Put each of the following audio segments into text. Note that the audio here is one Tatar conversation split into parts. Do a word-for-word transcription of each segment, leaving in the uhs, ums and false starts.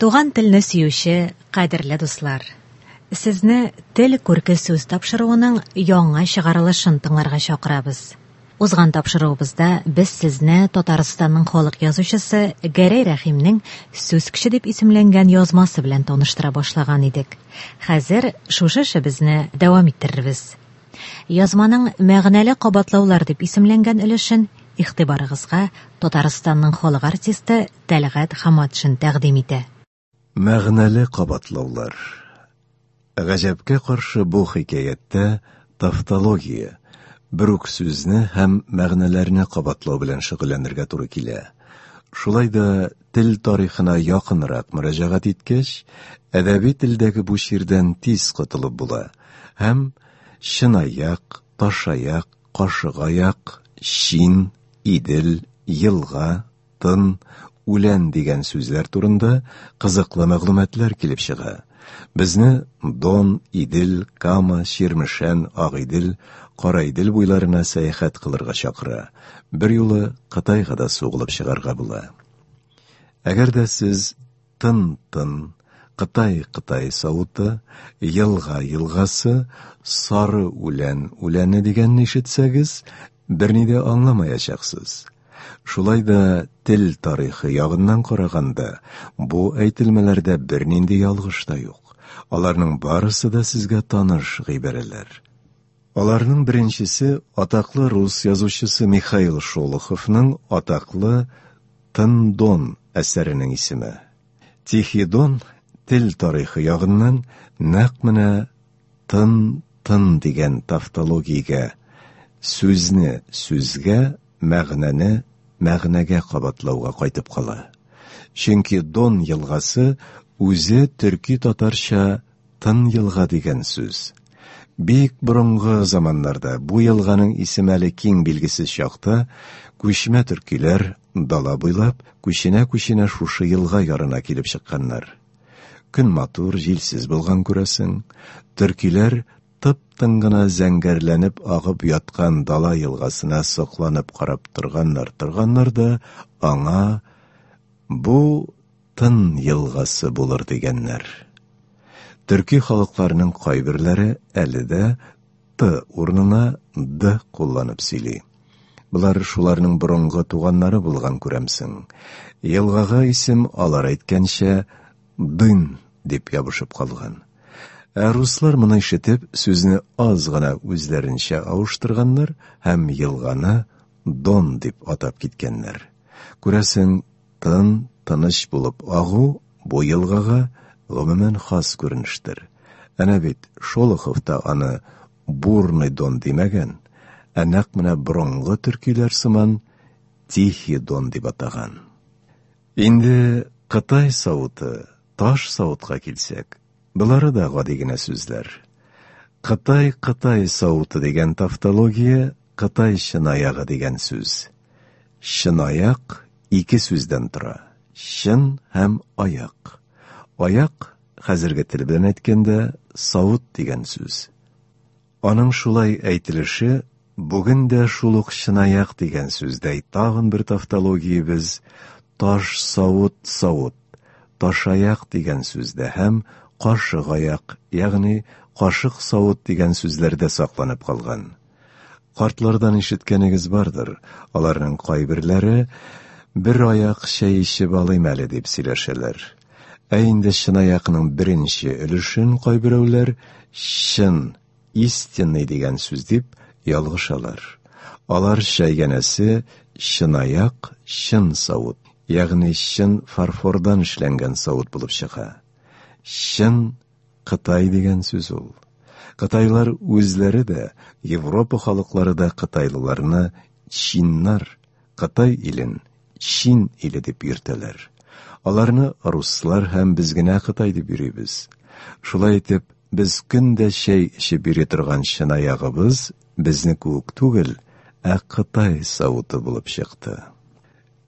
Туган телне сөюче кадерле дуслар! Сезне Тел күрке сүз тапшыруының яңа чыгарылышын тыңларга чакырабыз. Узган тапшыруыбызда без сезне Татарстанның халык язучысы Гәрәй Рәхимнең Сүз көче дип исемләнгән язмасы белән таныштыра башлаган идек. Хәзер шушы эшебезне дәвам иттерербез. Язманың Мәгънәле кабатлаулар дип исемләнгән өлешен игътибарыгызга Татарстанның халык артисты Тәлгать Хаматшин тәкъдим итә. Мәгънәле кабатлаулар. Гаҗәпкә каршы, бу хикәяттә тавтология, бер үк сүзне һәм мәгънәләрне кабатлау белән шөгыльләнергә туры килә. Шулай да тел тарихына якынрак мөрәҗәгать иткәч, әдәби телдәге бу чирдән тиз котылып була һәм чынаяк, ташаяк, кашыгаяк, чин, идел, елга, тын, үлән дигән сүзләр турында кызыклы мәгълүматлар килеп чыга. Безне Дон, Идел, Кама, Чирмешән, Агыйдел, Караидел буйларына сәяхәт кылырга чакыра. Бер юлы Кытайга да сугылып чыгарга була. Әгәр дә сез тын-тын, Кытай-Кытай савыты, елга елгасы, сары үлән үләне дигәнне ишетсәгез, берни дә аңламаячаксыз. Шулай да тел тарихы ягыннан караганда, бу әйтелмәләрдә бернинди ялгыш та юк. Аларның барысы да сезгә таныш гыйбарәләр. Аларның беренчесе атаклы рус язучысы Михаил Шолоховның атаклы Тын Дон әсәренең исеме. Тихий Дон тел тарихы ягыннан нәкъ менә тын-тын дигән тавтологиягә, сүзне сүзгә, мәгънәне мәгънәгә кабатлауга кайтып кала. Чөнки Дон елгасы үзе төрки татарча тын елга дигән сүз. Бик борынгы заманнарда бу елганың исеме әле киң билгесез чакта күчмә төркиләр дала буйлап күченә-күченә шушы елга ярына килеп чыкканнар. Көн матур, җилсез булган күрәсең. Төркиләр тып-тын гына зәңгәрләнеп агып яткан дала елгасына сокланып карап торганнар, торганнар да аңа бу Тын елгасы булыр дигәннәр. Төрки халыкларының кайберләре әле дә Т урынына Д кулланып сөйли. Болар шуларның борынгы туганнары булган күрәмсең. Елгага исем алар әйткәнчә Дын дип ябышып калган. Ә руслар моны ишетеп, сүзне аз гына үзләренчә авыштырганнар һәм елганы Дон дип атап киткәннәр. Күрәсең, тын, тыныч булып агу бу елгага гомумән хас күренештер. Әнә бит Шолохов та аны Бурный Дон димәгән, ә нәкъ менә борынгы төркиләр сыман Тихий Дон дип атаган. Инде Кытай савыты, таш савытка килсәк, болары да гади генә сүзләр. Кытай Кытай савыты дигән тавтология Кытай чынаягы дигән сүз. Чынаяк ике сүздән тора. Чын һәм аяк. Аяк, хәзерге тел белән әйткәндә, савыт дигән сүз. Аның шулай әйтелеше бүген дә шул ук чынаяк дигән сүздәй тагын бер тавтологиябез таш савыт савыт, ташаяк дигән сүздә һәм кашык аяк, ягъни кашык савыт дигән сүзләрдә сакланып калган. Картлардан ишеткәнегез бардыр, аларның кайберләре бер аяк чәй эчеп алыйм әле дип сөйләшәләр. Ә инде чынаякның беренче өлешен кайберәүләр чын, истинный дигән сүз дип ялгышалар. Алар чәйгәнәсе чынаяк, чын савыт, ягъни чын фарфордан эшләнгән савыт булып чыга. Чын Кытай дигән сүз ул. Кытайлар үзләре дә, Европа халыклары да кытайлыларны чиннар, Кытай илен Чин иле дип йөртәләр. Аларны руслар һәм без генә Кытай дип йөрибез. Шулай итеп, без көн дә чәй эчеп йөри торган чынаягыбыз безне кебек түгел, ә Кытай савыты булып чыкты.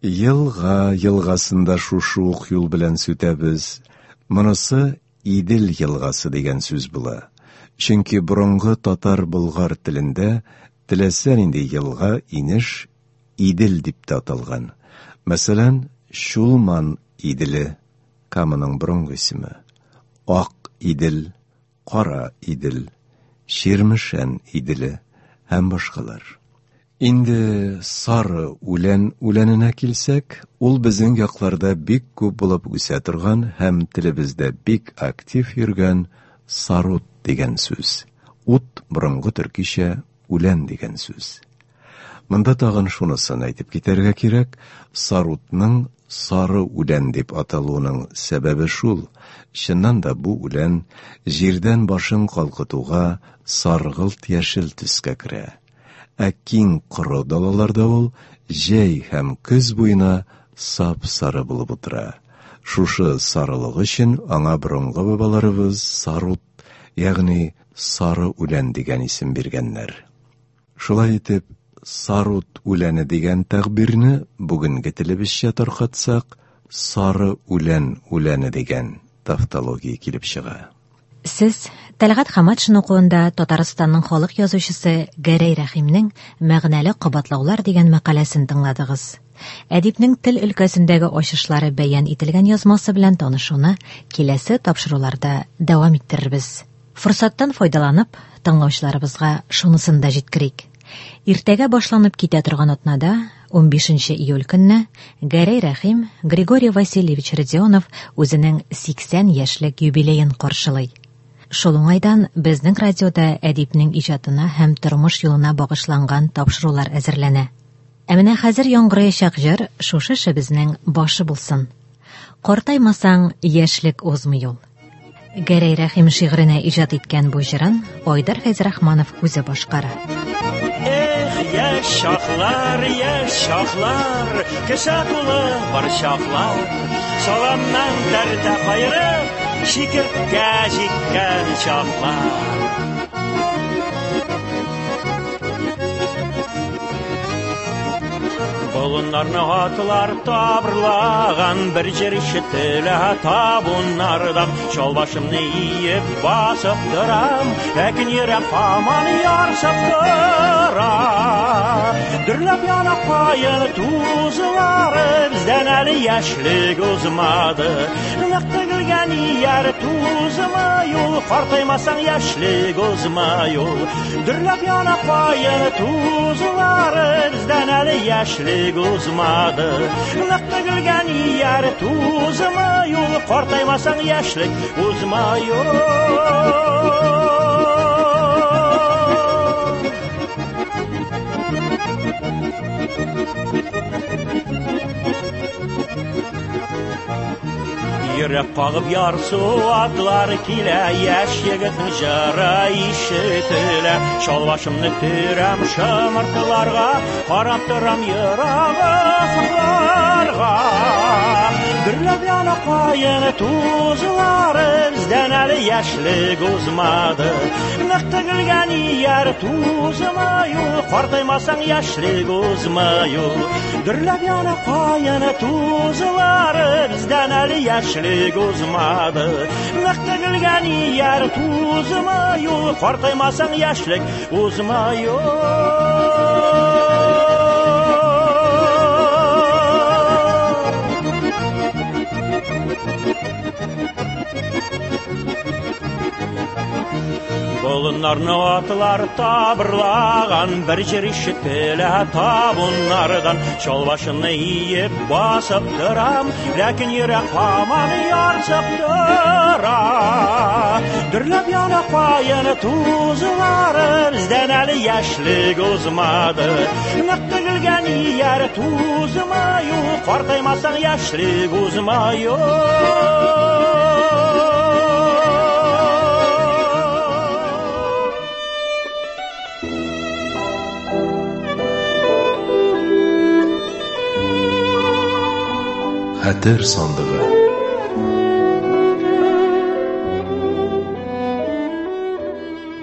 Елга елгасында шушы ук юл белән сүтәбез. Монысы Идел елгасы дигән сүз була. Чөнки борынгы татар-болгар телендә теләсә нинди елга, инеш Идел дип тә аталган. Мәсәлән, Чулман Иделе Каманың борынгы исеме, Ак Идел, Кара Идел, Чирмешән Иделе һәм башкалар. Инде сары үлән үләненә килсәк, ул безнең якларда бик күп булып үсә торган һәм телебездә бик актив йөргән сарут дигән сүз. Ут борынгы төркичә үлән дигән сүз. Монда тагын шунысын әйтеп китәргә кирәк, сарутның сары үлән дип аталуының сәбәбе шул. Чыннан да бу үлән җирдән башын калкытуга саргылт яшел төскә керә. Ә киң коры далаларда ул җәй һәм көз буена сап-сары булып утыра. Шушы сарылыгы өчен аңа борынгы бабаларыбыз сарут, ягъни сары үлән дигән исем биргәннәр. Шулай итеп, сарут үләне дигән тәгъбирне бүгенге телебезчә таркатсак, сары үлән үләне дигән тавтология килеп чыга. Сез Тәлгать Хаматшин укуында Татарстанның халык язучысы Гәрәй Рәхимнең Мәгънәле кабатлаулар дигән мәкаләсен тыңладыгыз. Әдипнең тел өлкәсендәге ачышлары бәян ителгән язмасы белән танышуны киләсе тапшыруларда дәвам иттерербез. Форсаттан файдаланып, тыңлаучыларыбызга шунысын да җиткерик. Иртәгә башланып китә торган атнада, унбишенче июль көнне, Гәрәй Рәхим Григорий Васильевич Родионов үзенең сиксән яшьлек юбилеен каршылый. Шул уңайдан безнең радиода әдипнең иҗатына һәм тормыш юлына багышланган тапшырулар әзерләнә. Ә менә хәзер яңгыраячак җыр шушы эшебезнең башы булсын. Картаймасаң, яшьлек узмый ул. Гәрәй Рәхим шигыренә иҗат иткән бу җырын Айдар Фәйзрахманов үзе башкара. Эх, яшь чаклар, яшь чаклар, кесә тулы бар чаклар, саламнан тәртә каерып, чикерткә җиккән чаклар. Болыннарны атлар табырлаган, бер җыр ишетелә табуннардан. Чал башымны иеп басып торам, ләкин йөрәк һаман ярсып тора. Дөрләп яна каен тузлары, бездән әле яшьлек узмады. Нык тегелгән ияр тузмый ул, картаймасаң яшьлек узмый ул. Дөрләп яна каен тузлары, бездән әле яшьлек узмады. Нык тегелгән ияр тузмый ул, картаймасаң яшьлек узмый ул. Йөрәк кагып ярсу атлар килә, яшь егетнең җыры ишетелә. Чал башымны төрәм шымыртыларга, карап торам ерак офыкларга. Дөрләп яна каен тузлары, бездән әле яшьлек узмады. Нык тегелгән ияр тузмый ул, картаймасаң яшьлек узмый ул. Дөрләп яна каен тузлары, бездән әле яшьлек узмады. Нык тегелгән ияр тузмый ул, картаймасаң яшьлек узмый ул. Болыннарны атлар табырлаган, бер җыр ишетелә табуннардан. Чал башымны иеп басып торам, ләкин йөрәк һаман ярсып тора. Дөрләп яна каен тузлары, бездән әле яшьлек узмады. Нык тегелгән ияр тузмый ул, картаймасаң яшьлек узмый ул. Хәтер сандыгы.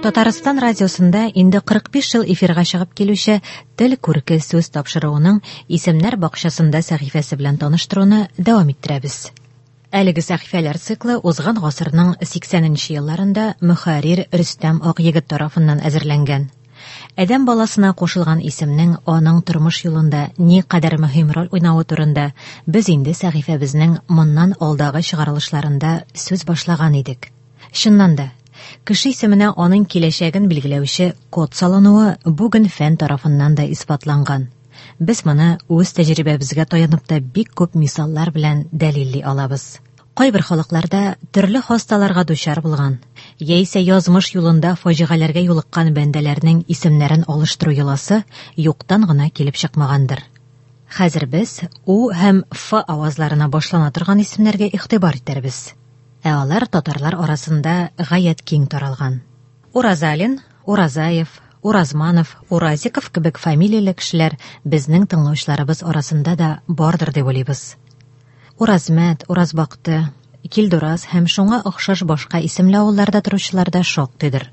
Татарстан радиосында инде кырык биш ел эфирга чыгып килүче Тел күрке сүз тапшыруының Исемнәр бакчасында сәхифәсе белән таныштыруны дәвам иттерәбез. Әлеге сәхифәләр циклы узган гасырның сиксәненче елларында мөхәррир Рөстәм Акъегет тарафыннан әзерләнгән. Адәм баласына кушылган исемнең аның тормыш юлында ни кадәр мөһим роль уйнавы турында без инде сәхифәбезнең моннан алдагы чыгарылышларында сүз башлаган идек. Чыннан да, кеше исеменә аның киләчәген билгеләүче код салынуы бүген фән тарафыннан да исбатланган. Без моны үз тәҗрибәбезгә таянып та бик күп мисаллар белән дәлилли алабыз. Кайбер халыкларда төрле хасталарга дучар булган, яисә язмыш юлында фаҗигаләргә юлыккан бәндәләрнең исемнәрен алыштыру йоласы юктан гына килеп чыкмагандыр. Хәзер без У һәм Ф авазларына башлана торган исемнәргә игътибар итәрбез. Ә алар татарлар арасында гаять киң таралган. Уразалин, Уразаев, Уразманов, Уразиков кебек фамилияле кешеләр безнең тыңлаучыларыбыз арасында да бардыр дип уйлыйбыз. Уразмәт, Уразбакты, Килдураз һәм шуңа охшаш башка исемле авылларда торучылар да шактыйдыр.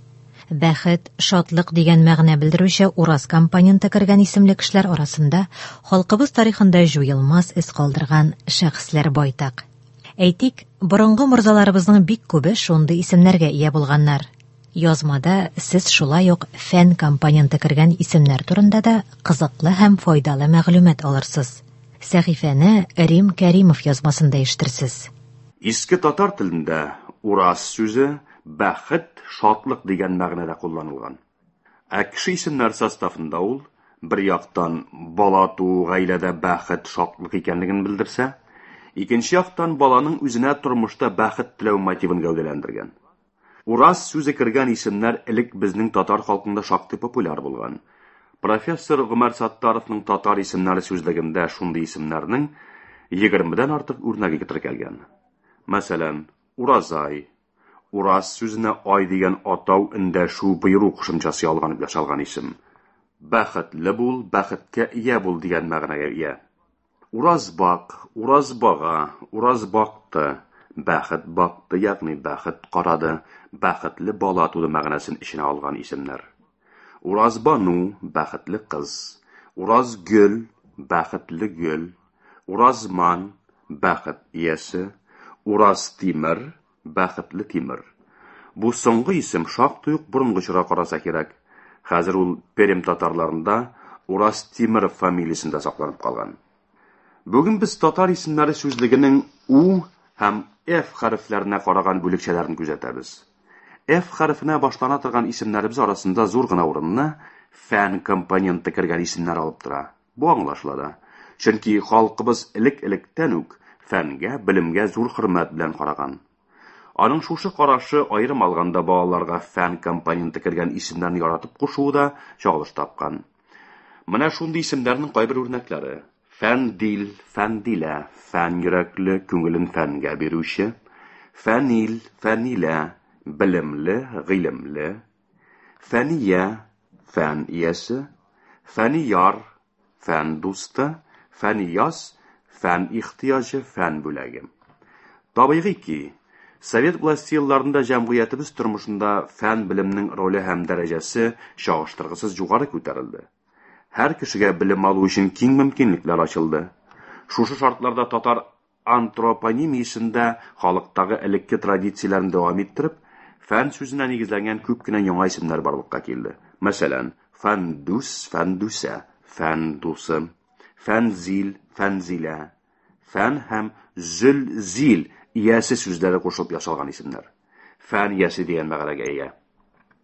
Бәхет, шатлык дигән мәгънә белдерүче Ураз компоненты кергән исемле кешеләр арасында халкыбыз тарихында җуелмас эз калдырган шәхесләр байтак. Әйтик, борынгы морзаларыбызның бик күбе шундый исемнәргә ия булганнар. Язмада сез шулай ук фән компоненты кергән исемнәр турында да кызыклы һәм файдалы мәгълүмат алырсыз. Сәхифәне Рим Кәримов язмасында ишетерсез. Иске татар телендә ураз сүзе бәхет, шатлык дигән мәгънәдә кулланылган. Ә кеше исемнәр составында ул бер яктан бала туу гаиләдә бәхет, шатлык икәнлеген белдерсә, икенче яктан баланың үзенә тормышта бәхет теләү мотивын гәүдәләндергән. Ураз сүзе кергән исемнәр элек безнең татар халкында шактый популяр булган. Профессор Гомәр Саттаровның татар исемнәре сүзлегендә шундый исемнәрнең егермедән артык үрнәге теркәлгән. Мәсәлән, Уразай, Ураз сүзенә ай дигән атау эндәшү боеру кушымчасы ялганып ясалган исем. Бәхетле бул, бәхеткә ия бул дигән мәгънәгә ия. Уразбак, Уразбага, Уразбакты, бәхет бакты, ягъни бәхет карады, бәхетле бала туды мәгънәсен эченә алган исемнәр. Уразбану, бәхетле кыз, Уразгөл, бәхетле гөл, Уразман, бәхет иясе, Уразтимер, бәхетле тимер. Бу соңгы исем шактый ук борынгы чорга караса кирәк. Хәзер ул Пермь татарларында Уразтимер фамилиясендә сакланып калган. Бүген без татар исемнәре сүзлегенең У һәм Ф хәрефләренә караган бүлекчәләрен күзәтәбез. Ф хәрефенә башлана торган исемнәребез арасында зур гына урынны фән компоненты кергән исемнәр алып тора. Бу аңлашыла да. Чөнки халкыбыз элек-электән үк фәнгә, белемгә зур хөрмәт белән караган. Аның шушы карашы аерым алганда балаларга фән компоненты кергән исемнәрне яратып кушуы да чагылыш тапкан. Менә шундый исемнәрнең кайбер үрнәкләре: Фәндил, Фәндилә, фән йөрәкле, күңелен фәнгә бирүче, Фәнил, Фәнилә, белемле, гыйлемле, Фәния, фән иясе, Фәнияр, фән дусты, Фәнияз, фән ихтыяҗы, фән бүләге. Табигый ки, Совет власте елларында җәмгыятебез тормышында фән белемнең роле һәм дәрәҗәсе чагыштыргысыз югары күтәрелде. Һәр кешегә белем алу өчен киң мөмкинлекләр ачылды. Шушы шартларда татар антропонимиясендә халыктагы элекке традицияләрне дәвам иттереп, фән сүзенә нигезләнгән күп кенә яңа исемнәр барлыкка килде. Мәсәлән, Фәндүс, Фәндүсә, фән дусы, Фәнзил, Фәнзилә, фән һәм зөл-зил иясе сүзләре кушылып ясалган исемнәр. Фән иясе дигән мәгънәгә ия.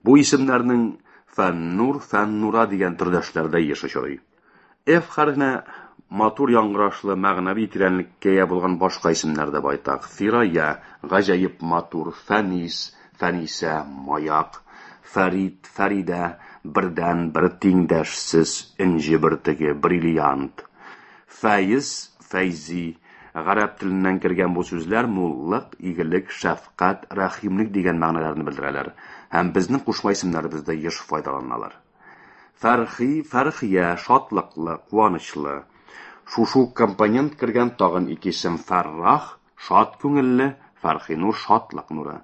Бу исемнәрнең Фәннур, Фәннура дигән төрдәшләре дә еш очрый. Ф хәрефенә матур яңгырашлы, мәгънәви тирәнлеккә ия булган башка исемнәр дә байтак. Фирая, гаҗәеп матур, Фәнис, Фәнисә, маяк, Фәрид, Фәридә, бердән бер тиңдәшсез, энҗе бөртеге, бриллиант. Фәйз, Фәйзи, гарәп теленнән кергән бу сүзләр муллык, игелек, шәфкать, рәхимлек дигән мәгънәләрне белдерәләр һәм безнең кушма исемнәребездә еш файдаланалар. Фәрхи, Фәрхия, шатлыклы, куанычлы. Шушы компонент кергән тагын ике исем: Фәррах, шат күңелле, Фәрхинур, шатлык нуры.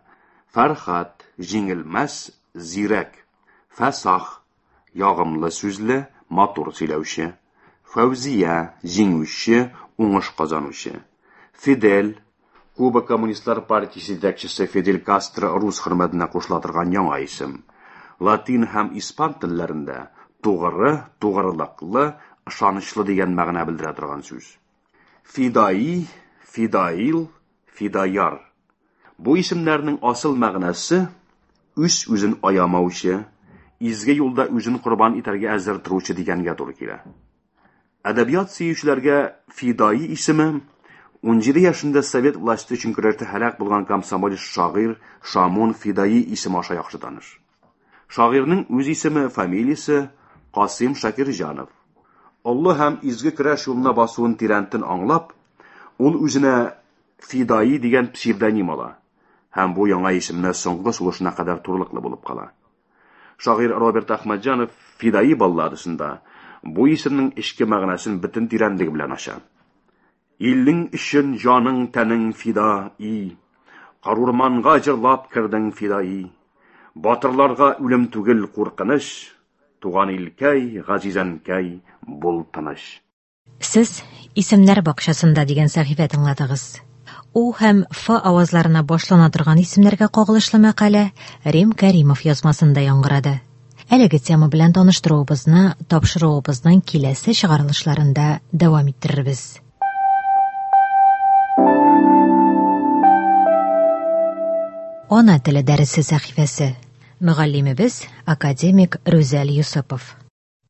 Фәрхат, җиңелмәс, зирәк. Фәсах, ягымлы сүзле, матур сөйләүче. Фәүзия, җиңүче, уңыш казанучы. Фидель, Куба Коммунистлар партиясе җитәкчесе Фидель Кастро рус хөрмәтенә кушыла торган яңа исем. Латин һәм испан телләрендә тугры, тугрылыклы, ышанычлы дигән мәгънә белдерә торган сүз. Фидаи, фидаил, фидаяр. Бу исемнәрнең асыл мәгънәсе үз-үзен аямаучы, изге юлда үзен корбан итәргә әзер торучы дигәнгә туры килә. Әдәбият сөючеләргә Фидаи исеме ун җиде яшендә совет власте өчен көрәштә һәлак булган комсомолец шагыйрь Шамун Фидаи исеме аша яхшы таныш. Шагыйрьнең үз исеме, фамилиясе Касыйм Шакирҗанов. Олы һәм изге көрәш юлына басуын тирәнтен аңлап, ул үзенә Фидаи дигән псевдоним ала һәм бу яңа исемне соңгы сулышына кадәр турылыклы булып кала. Шагыйрь Роберт Әхмәтҗанов Фидаи балладасында бу исемнең эчке мәгънәсен бөтен тирәнлеге белән ача. Илнең өчен җаның тәнең фидаи, карурманга җырлап кердең фидаи. Батырларга үлем түгел куркыныч, туган илкәй, газизәнкәй, бул тыныч. Сез Исемнәр бакчасында дигән сәхифә тыңладыгыз. У һәм Ф авазларына башлана торган исемнәргә кагылышлы мәкалә Рим Кәримов язмасында яңгырады. Әлеге тема белән таныштыруыбызны тапшыруыбызның киләсе чыгарылышларында дәвам иттерербез. Ана теле дәресе сәхифәсе. Мөгаллимебез академик Рүзәл Юсупов.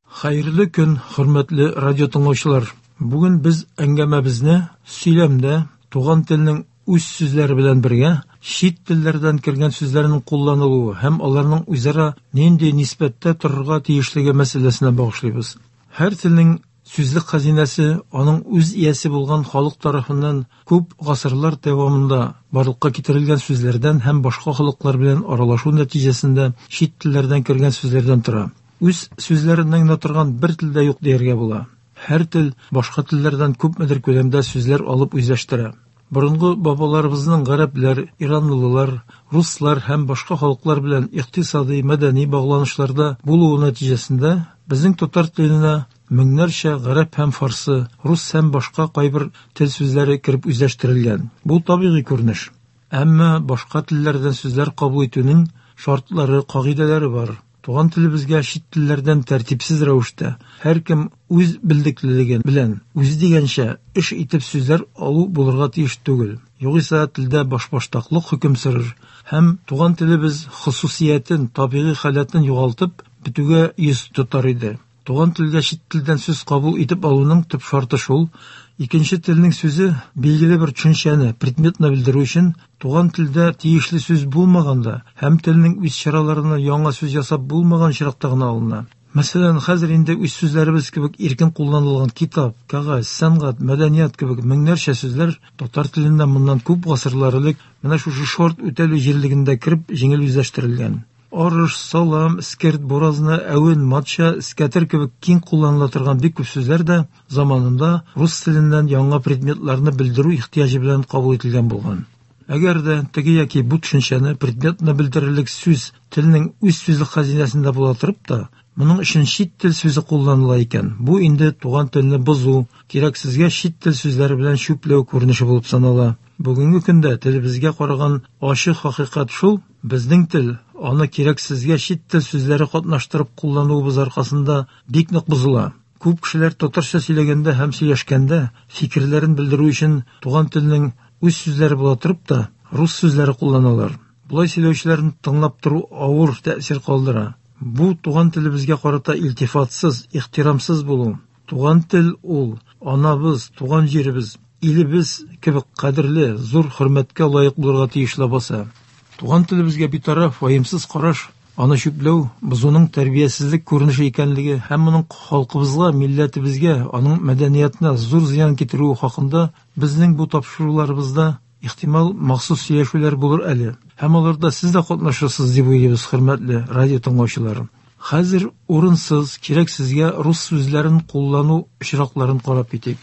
Хәерле көн, хөрмәтле радио тыңлаучылар. Бүген без әңгәмәбезне сөйләмдә туган телнең үз сүзләре белән бергә чит телләрдән кергән сүзләрнең кулланылуы һәм аларның үзара нинди нисбәттә торырга тиешлеге мәсьәләсенә багышлыйбыз. Һәр телнең сүзлек хәзинәсе аның үз иясе булган халык тарафыннан күп гасырлар дәвамында барлыкка китерелгән сүзләрдән һәм башка халыклар белән аралашу нәтиҗәсендә чит телләрдән кергән сүзләрдән тора. Үз сүзләреннән генә торган бер тел дә юк дияргә була. Һәр тел башка телләрдән күпмедер күләмдә сүзләр алып үзләштерә. Борынгы бабаларыбызның гарәпләр, иранлылар, руслар һәм башка халыклар белән икътисади, мәдәни багланышларда булуы нәтиҗәсендә безнең татар теленә меңнәрчә гарәп һәм фарсы, рус һәм башка кайбер тел сүзләре кереп үзләштерелгән. Бу табигый күренеш. Әмма башка телләрдән сүзләр кабул итүнең шартлары, кагыйдәләре бар. Туган телебезгә чит телләрдән тәртипсез рәвештә һәркем үз белдеклелеге белән үзе дигәнчә эш итеп сүзләр алу булырга тиеш түгел. Югыйсә телдә башбаштаклык хөкем сөрер һәм туган телебез хосусиятен, табигый халәтен югалтып бетүгә йөз тотар иде. Туган телгә чит телдән сүз кабул итеп алуның төп шарты шул: икенче телнең сүзе билгеле бер төшенчәне, предметны белдерү өчен туган телдә тиешле сүз булмаганда һәм телнең үз чараларына яңа сүз ясап булмаган очракта гына алына. Мәсәлән, хәзер инде үз сүзләребез кебек иркен кулланылган китап, кәгазь, сәнгать, мәдәният кебек меңнәрчә сүзләр татар телендә моннан күп гасырлар элек менә шушы шарт үтәлү җирлегендә кереп җиңел үзләштерелгән. Арыш, салам, эскерт, буразна, әвен, матча, эскәтер кебек киң кулланыла торган бик күп сүзләр дә заманында рус теленнән яңа предметларны белдерү ихтыяҗы белән кабул ителгән булган. Әгәр дә теге яки бу төшенчәне, предметны белдерерлек сүз телнең үз сүзлек хәзинәсендә була торып та, моның өчен чит тел сүзе кулланыла икән, бу инде туган телне бозу, кирәксезгә чит тел сүзләре белән чүпләү күренеше булып санала. Бүгенге көндә телебезгә караган ачык хакыйкать шул: безнең тел аны кирәксезгә чит тел сүзләре катнаштырып куллануыбыз аркасында бик нык бозыла. Күп кешеләр татарча сөйләгәндә һәм сөйләшкәндә фикерләрен белдерү өчен туган телнең үз сүзләре була торып та рус сүзләре кулланалар. Болай сөйләүчеләрне тыңлап тору авыр тәэсир калдыра. Бу туган телебезгә карата илтифатсыз, ихтирамсыз булу. Туган тел ул анабыз, туган җиребез, илебез кебек кадерле, зур хөрмәткә лаек булырга тиеш ләбаса. Туган телебезгә битараф, ваемсыз караш, аны чүпләү, бозуның тәрбиясезлек күренеше икәнлеге һәм моның халкыбызга, милләтебезгә, аның мәдәниятенә зур зыян китерүе хакында безнең бу тапшыруларыбызда ихтимал махсус сөйләшүләр булыр әле. Һәм аларда сез дә катнашырсыз дип уйлыйбыз, хөрмәтле радио тыңлаучылар. Хәзер урынсыз, кирәксезгә рус сүзләрен куллану очракларын карап китик.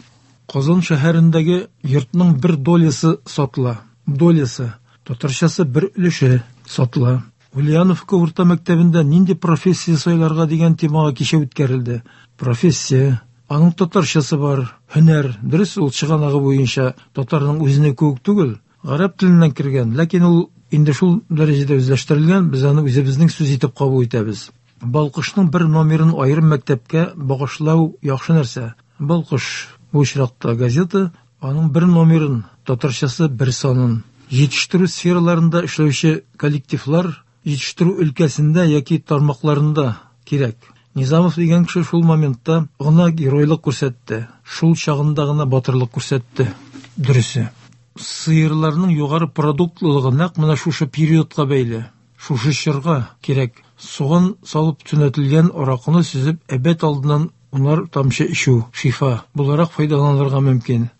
Казан шәһәрендәге йортның бер долясы сатыла. Долясы, татарчасы бер өлеше сатыла. Ульяновка урта мәктәбендә нинди профессия сайларга дигән темага кичә үткәрелде. Профессия, аның татарчасы бар, һөнәр, дөрес ул чыганагы буенча татарның үзенә кебек түгел, гарәп теленнән кергән, ләкин ул инде шул дәрәҗәдә үзләштерелгән, без аны үзебезнең сүз итеп кабул итәбез. Балкышның бер номерын аерым мәктәпкә багышлау яхшы нәрсә. Балкыш бу очракта газета, аның бер номерын, татарчасы бер санын. Җитештерү сфераларында эшләүче коллективлар җитештерү өлкәсендә яки тармакларында кирәк. Низамов дигән кеше шул моментта гына геройлык күрсәтте. Шул чагында гына батырлык күрсәтте. Дөресе. Сыерларның югары продуктлылыгы нәкъ менә шушы периодка бәйле. Шушы чорга кирәк. Суган салып төнәтелгән аракыны сөзеп, әбәт алдыннан унар тамчы эчү шифа буларак файдаланырга мөмкин.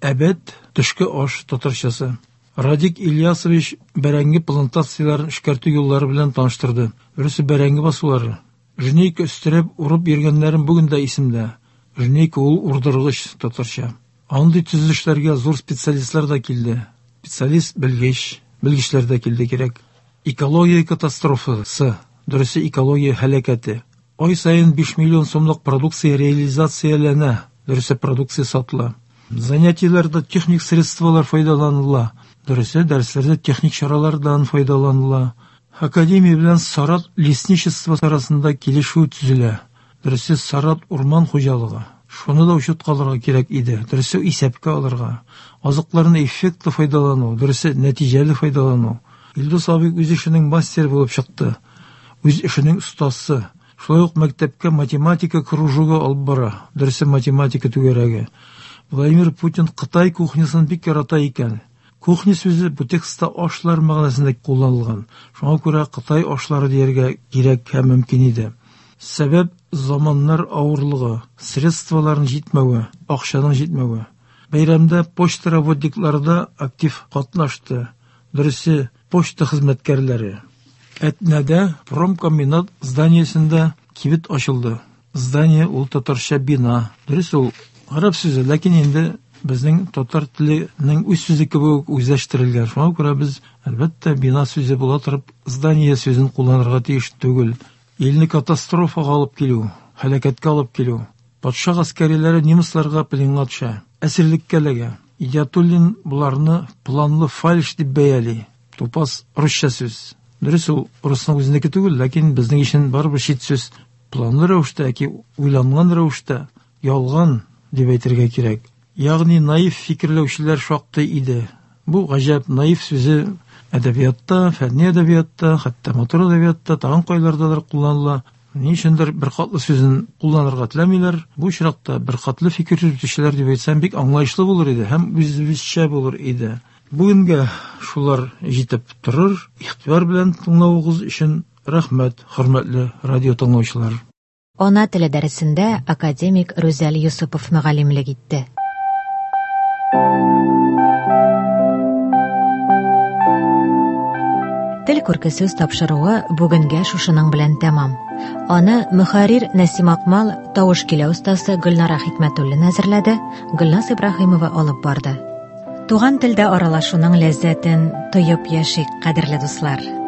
Әбәт төшке аш татарчасы. Радик Ильясович бәрәңге плантацияләрен эшкәртү юллары белән таныштырды. Дөресе бәрәңге басулары. Жнейка өстерәп урып йөргәннәрем бүген дә исемдә. Жнейка ул урдыргыч татарча. Андый төзелешләргә зур специалистлар да килде. Специалист белгеч, белгечләр дә килде кирәк. Экология катастрофасы, дөресе экология һәлакәте. Ай саен биш миллион сумлык продукция реализацияләнә, дөресе продукция сатыла. Занятиеләрдә техник средстволар файдаланыла, дөресе дәресләрдә техник чаралардан файдаланыла. Академия белән Сарат лесничество арасында килешү төзелә. Дөресе Сарат урман хуҗалыгы. Шуны да учетка алырга кирәк иде. Дөресе исәпкә алырга. Азыкларны эффектлы файдалану, дөресе нәтиҗәле файдалану. Илдус абый үз эшенең мастеры булып чыкты. Үз эшенең остасы. Шулай ук мәктәпкә математика кружогы алып бара. Дөресе математика түгәрәге. Владимир Путин Кытай кухнясын бик ярата икән. Кухня сүзе бу текстта ашлар мәгънәсендә кулланылган. Шуңа күрә Кытай ашлары дияргә кирәк һәм мөмкин иде. Сәбәп заманнар авырлыгы, средстволарның җитмәве, акчаның җитмәве. Бәйрәмдә почта работниклары да актив катнашты. Дөресе почта хезмәткәрләре. Әтнәдә промкомбинат зданиесендә кибет ачылды. Здание ул татарча бина. Дөрес ул гарәп сүзе, ләкин инде безнең татар теленең үз сүзе кебек үзләштерелгән. Шуңа күрә без әлбәттә бина сүзе була торып здание сүзен кулланырга тиеш түгел. Илне катастрофага алып килү, һәлакәткә алып килү. Патша гаскәриләре немецларга пленга төшә, әсирлеккә эләгә. Идиатуллин буларны планлы фальш дип бәяли. Тупас русча сүз. Дөрес ул русның үзенеке түгел, ләкин безнең өчен барыбер чит сүз. Планлы рәвештә яки уйланган рәвештә ялган дип әйтергә кирәк. Ягъни наив фикерләүчеләр шактый иде. Бу гаҗәп наив сүзе әдәбиятта, фәнни әдәбиятта, хәтта матур әдәбиятта тагын кайлардадыр кулланыла. Ни өчендер беркатлы сүзен кулланырга теләмиләр. Бу очракта беркатлы фикер йөртүчеләр дип әйтсәм бик аңлаешлы булыр иде һәм үзебезчә булыр иде. Бүгенгә шулар җитеп торыр. Игътибар белән тыңлавыгыз өчен рәхмәт, хөрмәтле радио тыңлаучылар. Ана теле дәресендә академик Рүзәл Юсупов мөгаллимлек итте. Тел күрке сүз тапшыруы бүгенгә шушының белән тәмам. Аны мөхәррир Нәсим Акмал, тавыш килә остасы Гөлнара Хикмәтуллина әзерләде, Гөлназ Ибраһимова алып барды. Туган телдә аралашуның ләззәтен тоеп яшик, кадерле дуслар.